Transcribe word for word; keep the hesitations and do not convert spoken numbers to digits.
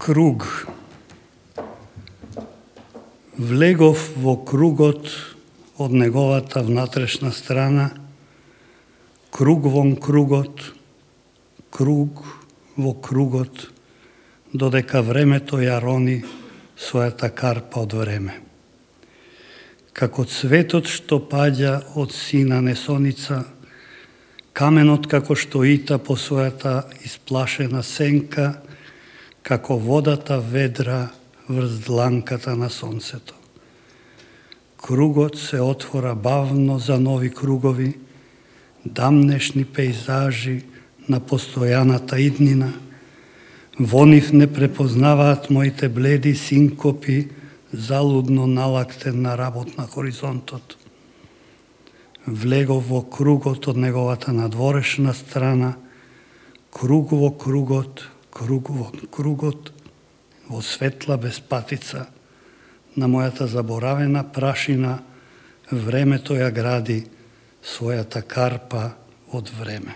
Круг. Влегов во кругот од неговата внатрешна страна, круг вон кругот, круг во кругот, додека времето ја рони својата карпа од време. Како цветот што паѓа од сина несоница, каменот како што ита по својата исплашена сенка, како водата ведра врз дланката на сонцето. Кругот се отвора бавно за нови кругови, дамнешни пейзажи на постојаната иднина. Во нив не препознаваат моите бледи синкопи, залудно налактен на работ на хоризонтот. Влегов во кругот од неговата надворешна страна, круг во кругот, круг во кругот, во светла безпатица, на мојата заборавена прашина, времето ја гради својата карпа од време.